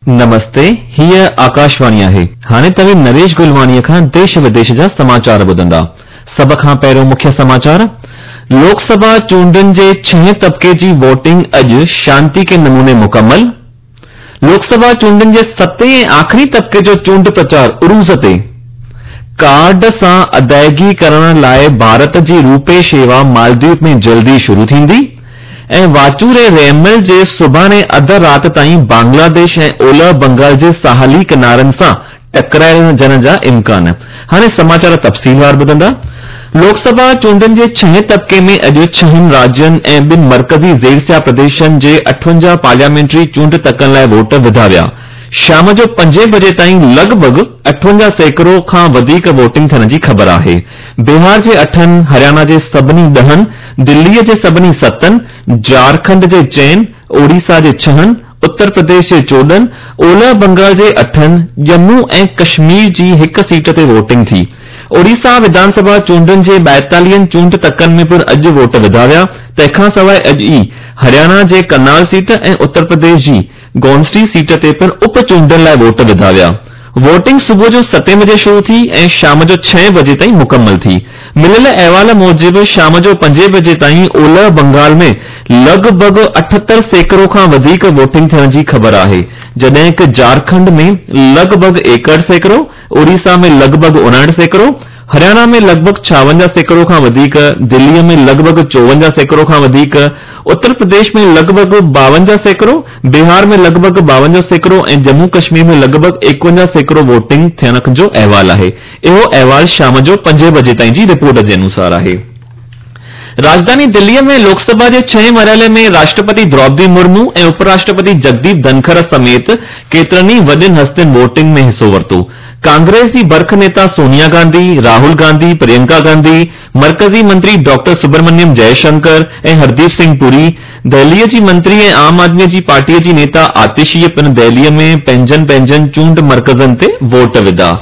نمستي، هيء آڪاشواڻي آهي. هاڻي توهين نريش گلواڻيء کان ديش وديش جا سماچار ٻڌندا. سڀ کان پهريون مکيه سماچار، لوڪ سڀا چونڊن جي ڇهين طبقي جي ووٽنگ اڄ شانتيڪي نموني مڪمل. لوڪ سڀا چونڊن جي ستين ۽ آخري طبقي جو چونڊ پرچار عروج تي. ڪارڊ سان ادائگي ڪرڻ لاء ڀارت جي روپي شيوا مالديپ ۾ جلدي شروع ٿيندي ۽ واچوڙي ريمل جي سڀاڻي اڌ رات تائين بنگلاديش ۽ اولهه بنگال جي ساحلي ڪنارن سان ٽڪرائجڻ جا امڪان. هاڻي سماچار تفصيلوار ٻڌندا. لوڪ سڀا چونڊن جي ڇهين طبقي ۾ اڄ ڇهن راجين ۽ ٻن مرڪزي زيرسيا پرديشن جي 58 پارليامينٽري چونڊ تڪن لاء ووٽ وڌا ويا. شام جو پنجين بجي تائين لڳ ڀڳ 58% کان وڌيڪ ووٽنگ ٿيڻ جي خبر آهي. بهار جي اٺن، هريانا جي سڀني ڏهن، دليء جي سڀني ستن، جهارکنڊ جي چئن، اوڙيسا جي ڇهن، اتر پرديش جي 14، اولهه بنگال جي اٺن، ڄمون ۽ ڪشمير جي هڪ سيٽ تي ووٽنگ ٿي. اوڙيسا وڌان سڀا چونڊن جي 42 چونڊ تڪن ۾ پڻ اڄ ووٽ وڌا ويا. تنهن کان سواء اڄ ئي هرياڻا جي ڪرنال سيٽ ۽ اتر پرديش جي گونسڊي سيٽ تي پڻ اپ چونڊن لاء ووٽ وڌا ويا. ووٽنگ صبح جو ستين بجي شروع ٿي ۽ شام جو ڇهين بجي تائين مڪمل ٿي. مليل احوال موجب شام جو پنجين بجي تائين اولهه بنگال ۾ لڳ ڀڳ 78% کان وڌيڪ ووٽنگ ٿيڻ جي خبر آهي، جڏهن ڪه جهارکنڊ ۾ لڳ ڀڳ 61%، اوڙيسا ۾ لڳ ڀڳ 59%، هرياڻا ۾ لڳ ڀڳ 56% کان وڌيڪ، دليء ۾ لڳ ڀڳ 54% کان وڌيڪ، اتر پرديش ۾ لڳ ڀڳ 52%، بهار ۾ لڳ ڀڳ 52% ۽ ڄمون ڪشمير ۾ لڳ ڀڳ 51% ووٽنگ ٿيڻ جو احوال آهي. اهو احوال شام جو پنجين بجي تائين جي رپورٽ جي انوسار آهي. راڄڌاني دليء ۾ لوڪ سڀا جي ڇهين مرحلي ۾ راشٽرپتي دروپدي مرمو ۽ اپ راشٽرپتي جگديپ ڌنکر سميت ڪيترن ئي وڏين هستين ووٽنگ ۾ حصو ورتو. ڪانگريس جي برک نيتا سونيا گانڌي، راهول گانڌي، پرينڪا گانڌي، مرڪزي منتري ڊاڪٽر سبرمنيم جئه شنڪر ۽ هرديپ سنگهه پوري، دهليء جي منتري ۽ عام آدميء جي پارٽيء جي نيتا آتشيء پڻ دهليء ۾ پنهنجن پنهنجن چونڊ مرڪزن تي ووٽ وڌا.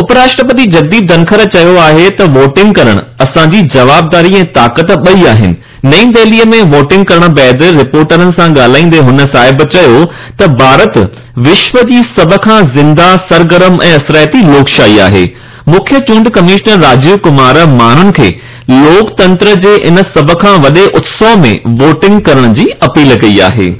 اپ راشٽرپتي جگديپ ڌنکر چيو آهي ته ووٽنگ ڪرڻ اسان جي جوابداري ۽ طاقت ٻئي آهن. نئين دهليء ۾ ووٽنگ ڪرڻ بعد رپورٽرن سان ڳالهائيندي هن صاحب چيو ته ڀارت وشو جي سڀ کان زنده، سرگرم ۽ اثرائتي لوڪشاهي آهي. مکيه چونڊ ڪمشنر راجيو ڪمار ماڻهن کي لوڪ تنتر جي ان سڀ کان وڏي اتسو ۾ ووٽنگ ڪرڻ جي اپيل ڪئي آهي.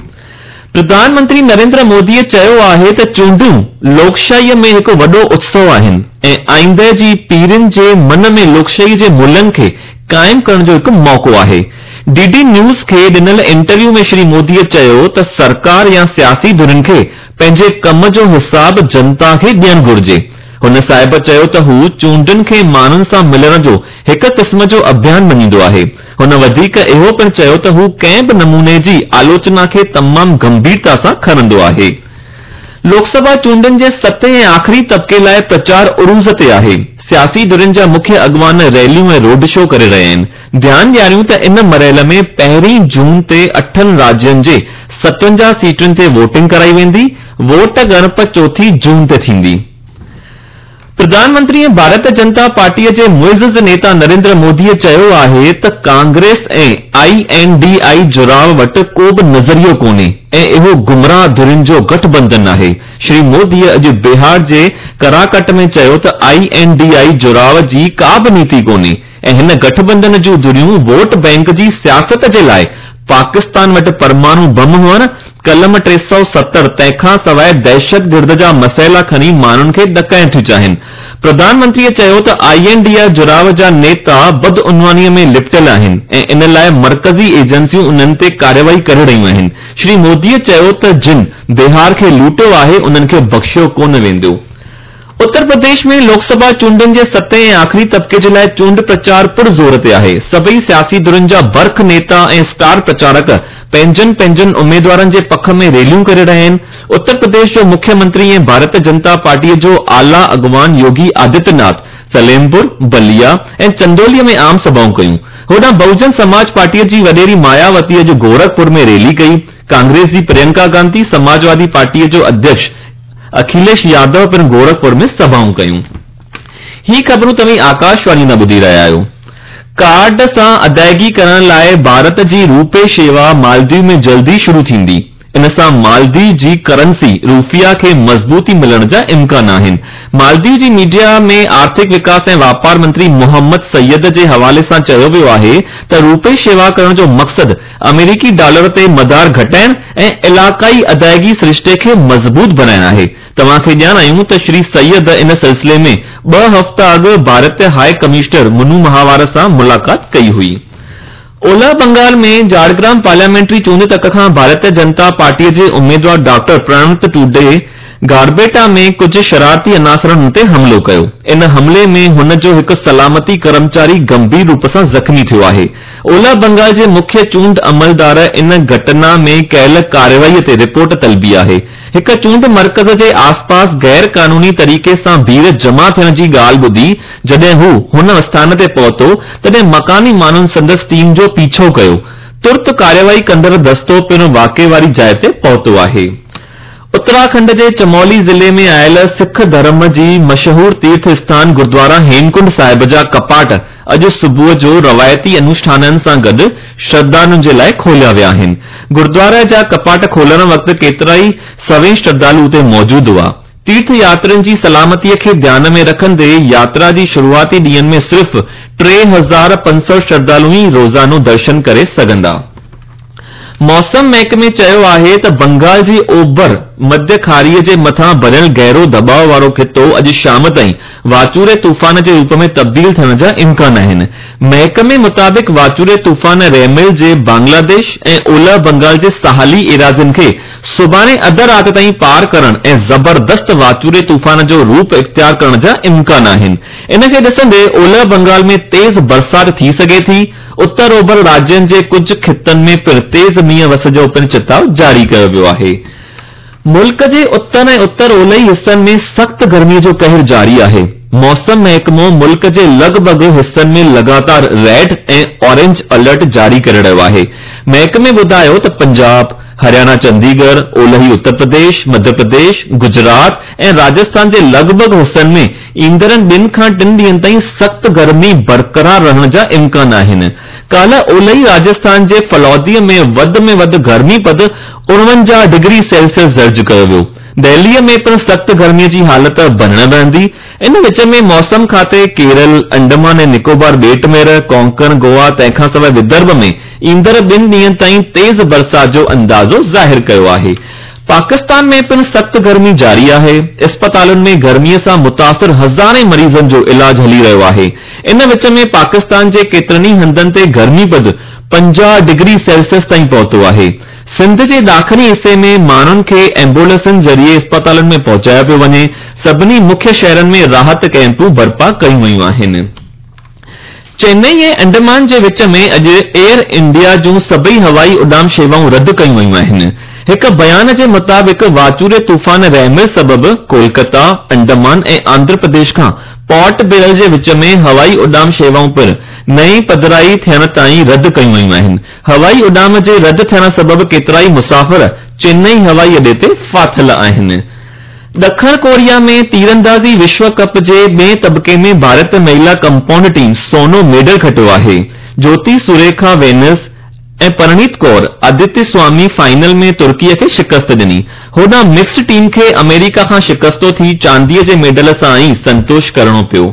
پرڌان منتري نريندر موديء چيو آهي ته چونڊون لوڪشاهيء ۾ هڪ وڏو اتسو آهن ۽ آئنده جي پيڙهين جي من ۾ لوڪشاهيء جي ملهن کي قائم ڪرڻ جو هڪ موقعو آهي. ڊي ڊي نيوز کي ڏنل انٽرويو ۾ شري موديء چيو ته سرڪار يا سياسي ڌرين کي پنهنجي ڪم جو حساب جنتا کي ڏيڻ گهرجي. هن صاحب چيو ته هو چونڊن کي ماڻهن سان ملڻ جو هڪ قسم جو اڀيان مڃيندو آهي. هن وڌيڪ اهو پڻ چيو ته هو ڪنهن به نموني جي آلوچنا کي تمام گنڀيرتا سان کڻندو آهي. لوڪ سڀا چونڊن جي ستين ۽ آخري طبقي لاء پرچار عروج تي آهي. سياسي ڌرين جا مکيه اڳواڻ ريليون ۽ روڊ شو ڪري رهيا آهن. ڌيان ڏياريون ته ان مرحلي ۾ پهرين جون تي اٺن راجين جي 57 سيٽن تي ووٽنگ ڪرائي ويندي، ووٽ ڳڻپ چوٿين جون تي ٿيندي. پرڌان منتري ۽ ڀارت جنتا پارٽيء جي معزز نيتا نريندر موديء چيو آهي ته Congress ۽ I N D I جڙاء وٽ ڪو به نظريو ڪونهي ۽ اهو گمراهه ڌرين جو گٺ بنڌن آهي. شري موديء اڄ بهار جي ڪراڪٽ ۾ چيو ته I N D I جڙاء جي ڪا به نيتي ڪونهي ۽ هن گٺ بنڌن جون ڌريون ووٽ بئنڪ جي سياست جي لاء پاڪستان وٽ پرماڻو بم هئڻ، قلم 370 تنهن کان سواء دهشتگرد جا مسئلا کڻي ماڻهن کي ڏڪائڻ ٿيون چاهين. پرڌان منتريء چيو ته I N D I جڙاء جا نيتا بدعنوانيء ۾ لپٽيل آهن ۽ ان لاء مرڪزي ايجنسيون انهن تي ڪارروائي ڪري رهيون آهن. شري موديء چيو ته جن بهار کي لوٽيو آهي انهن کي بخشيو ڪونه ويندو. اتر پرديش ۾ لوڪ سڀا چونڊن جي ستين ۽ آخري طبقي جي لاء چونڊ پرچار پر زور تي آهي. سڀئي سياسي ڌرين جا برک نيتا ۽ اسٽار پرچارڪ پنهنجن پنهنجن اميدوارن جي پک ۾ ريليون ڪري رهيا آهن. اتر پرديش جو مکيه منتري ۽ ڀارت جنتا پارٽيء جو اعليٰ اڳواڻ يوگي آدتيه ناٿ سليمپور، بليا ۽ چندوليء ۾ عام سڀائون ڪيون. هوڏانهن بهوجن سماج پارٽيء جي وڏيري ماياوتيء اڄ گورکپور ۾ ريلي ڪئي. ڪانگريس جي پرينڪا گانڌي، سماجوادي پارٽيء جو اڌيڪش اکيليش يادو پڻ گورکپور ۾ سڀائون ڪيون. هي خبرون توهين آڪاشواڻي تان ٻڌي رهيا آهيو. ڪارڊ سان ادائگي ڪرڻ لاء ڀارت جي روپي شيوا مالديپ ۾ جلدي شروع ٿيندي. ان سان مالديو جي ڪرنسي روفيا کي مضبوطي ملڻ جا امڪان آهن. مالديو جي ميڊيا ۾ آرٿڪ وڪاس ۽ واپار منتري محمد سيد جي حوالي سان چيو ويو آهي ته روپي شيوا ڪرڻ جو مقصد آمريڪي ڊالر تي مدار گهٽائڻ ۽ علائقائي ادائيگي سرشتي کي مضبوط بڻائڻ آهي. توهان کي ڄاڻايون ته شري سيد ان سلسلي ۾ ٻه هفتا اڳ ڀارتي هاء ڪمشنر منو مهاوار سان ملاقات ڪئي هئي. اولهه بنگال ۾ جهاڙگرام پارليامينٽري چونڊ تڪ کان ڀارتيه جنتا پارٽيء جي اميدوار ڊاڪٽر پرڻت ٽوڊي گاربيٽا ۾ ڪجهه شرارتي عناصرن هن تي حملو ڪيو. ان حملي ۾ هن جو هڪ سلامتي ڪرمچاري گنڀير روپ سان زخمي ٿيو آهي. اولهه بنگال جي مکيه چونڊ عملدار ان گهٽنا ۾ ڪيل ڪارروائي تي رپورٽ طلبي آهي. هڪ چونڊ مرڪز جي آسپاس غير قانوني طريقي سان ڀيڙ جمع ٿيڻ جي ڳالهه ٻڌي جڏهن هو هن اسٿان تي پهتو تڏهن مڪاني ماڻهن سندس ٽيم جو پيڇو ڪيو. ترت ڪارروائي ڪندڙ دستو پڻ واقعي واري جاء تي پهتو آهي. اتراکنڊ جي چمولي ضلعي ۾ آيل سک ڌرم جي مشهور تيرٿ اسٿان گردوارا هيمڪنڊ صاحب جا ڪپاٽ اڄ صبح جو روايتي انوشٺانن سان گڏ شرڌالن جي لاء کوليا ويا آهن. گردواري جا ڪپاٽ کولڻ وقت ڪيترائي سوين شرڌالو اتي موجود هئا. تيرٿ ياترين جي سلامتي کي ڌيان ۾ رکندي ياترا جي شروعاتي ڏينهن ۾ صرف 3500 شرڌالو ئي روزانو درشن ڪري سگهندا. موسم محڪمي چيو آهي ته بنگال جي اوڀر مڌيه کاريء جي مٿان بڻيل گهرو دٻاء وارو خطو اڄ شام تائين واچوڙي طوفان جي روپ ۾ تبديل ٿيڻ جا امڪان آهن. محڪمي مطابق واچوڙي طوفان ريمل جي بنگلاديش ۽ اولهه بنگال جي ساحلي ايراضين کي سڀاڻي اڌ رات تائين پار ڪرڻ ۽ زبردست واچوڙي طوفان جو روپ اختيار ڪرڻ جا امڪان آهن. ان کي ڏسندي اولهه بنگال ۾ تيز برسات ٿي سگهي ٿي. اتر اوڀر راجين جي ڪجهه خطن ۾ پڻ تيز مينهن وس جو پڻ چتاء جاري ڪيو ويو آهي. ملڪ جي اتر ۽ اتر اولهي حصن ۾ سخت گرمي جو قهر جاري آهي. موسم محڪمو ملڪ جي لڳ ڀڳ حصن ۾ لڳاتار ريڊ ۽ اورينج الرٽ جاري ڪري رهيو آهي. محڪمي ٻڌايو ته پنجاب، هرياڻا چنديڳڙهه، اولهي اتر پرديش، مڌيه پرديش، گجرات ۽ راجسٿان جي لڳ ڀڳ حصن ۾ ايندڙن ٻن کان ٽن ڏينهن تائين سخت گرمي برقرار رهڻ جا امڪان آهن. ڪالهه اولهي راجسٿان جي ڦلوديء ۾ وڌ ۾ وڌ گرمي پد 49 ڊگري سيلسيس درج ڪيو ويو. دهليء ۾ پڻ سخت گرميء جي حالت بڻيل رهندي. ان وچ ۾ موسم کاتي ڪيرل، انڊمان ۽ نڪوبار ٻيٽ مير، ڪونڪڻ، گوا تنهن کانسواء ودرڀ ۾ ايندڙ ٻن ڏينهن تائين تيز برسات جو اندازو ظاهر ڪيو آهي. پاڪستان ۾ پڻ سخت گرمي جاري آهي، اسپتالن ۾ گرمي سان متاثر هزارين مريضن جو علاج هلي رهيو آهي. ان وچ ۾ پاڪستان جي ڪيترن ئي هنڌن تي گرمي پد 50 ڊگري سيلسيس تائين پهتو آهي. سنڌ جي ڏاکڻي حصي ۾ ماڻهن کي ايمبولينسن ذريعي اسپتالن ۾ پهچايو پيو وڃي، سڀني مکيه شهرن ۾ راحت ڪئمپون برپا ڪيون ويون آهن. چينئي ۽ انڊمان جي وچ ۾ اڄ ايئر انڊيا جون سڀئي هوائي اڏام شيوائون رد ڪيون ويون آهن. هڪ بيان جي مطابق واچوڙي طوفان ريمل سبب ڪولڪتا، انڊمان ۽ آنڌرا پرديش کان پورٽ بيئر جي وچ ۾ هوائي اڏام شيوائون پڻ نئين پڌرائي ٿيڻ تائين رد ڪيون ويون آهن. هوائي اڏام جي رد ٿيڻ سبب ڪيترائي مسافر چينئي هوائي اڏي تي ڦاٿل آهن. ڏکڻ ڪوريا ۾ تيراندازي وشو ڪپ جي ٻئين طبقي ۾ ڀارت مهلا ڪمپائونڊ ٽيم سونو ميڊل کٽيو آهي. جوتي سريکا وينس ۽ پرڻيت ڪور ادتي سوامي فائنل ۾ ترڪي کي شڪست ڏني. هوڏانهن مڪسڊ ٽيم کي آمريڪا کان شڪستو ٿي چاندي جي ميڊل سان ئي سنتوش ڪرڻو پيو.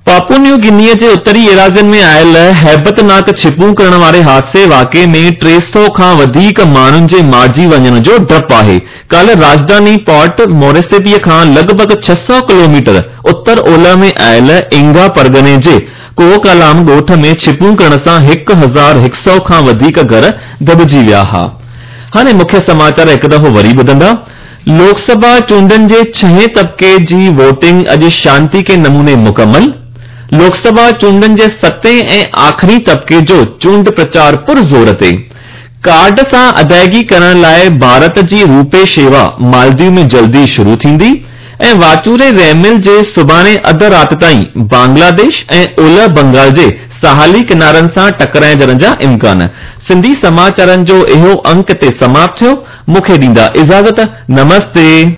پاپو نيو گني جي اتري ايراضين ۾ آيل هيبتناڪ ڇپون ڪرڻ واري حادثي واقعي ۾ 300 کان وڌيڪ ماڻهن جي مارجي وڃڻ جو ڊپ آهي. ڪالهه راڄڌاني پورٽ موريسبي کان لڳ ڀڳ 600 ڪلوميٽر اتر اولهه ۾ آيل اينگا پرڳڻي جي ڪوڪالام ڳوٺ ۾ ڇپون ڪرڻ سان 1100 کان وڌيڪ گهر دٻجي ويا ها. هاڻي مکيه سماچار هڪ دفعو وري ٻڌندا. لوڪ سڀا چونڊن جي ڇهين طبقي جي ووٽنگ اڄ شانتيڪي نموني مڪمل، لوڪ سڀا چونڊن جي ستين ۽ آخري طبقي جو چونڊ پرچار پر زور تي، ڪارڊ سان ادائگي ڪرڻ لاء ڀارت جي روپي شيوا مالديو ۾ جلدي شروع ٿيندي ۽ واچوڙي ريمل جي سڀاڻي اڌ رات تائين بنگلاديش ۽ اولهه بنگال جي ساحلي ڪنارن سان ٽڪرائجڻ جا امڪان. سنڌي سماچارن جو اهو انڪ هتي سماپت ٿيو. مون کي ڏيندا اجازت. نمستي.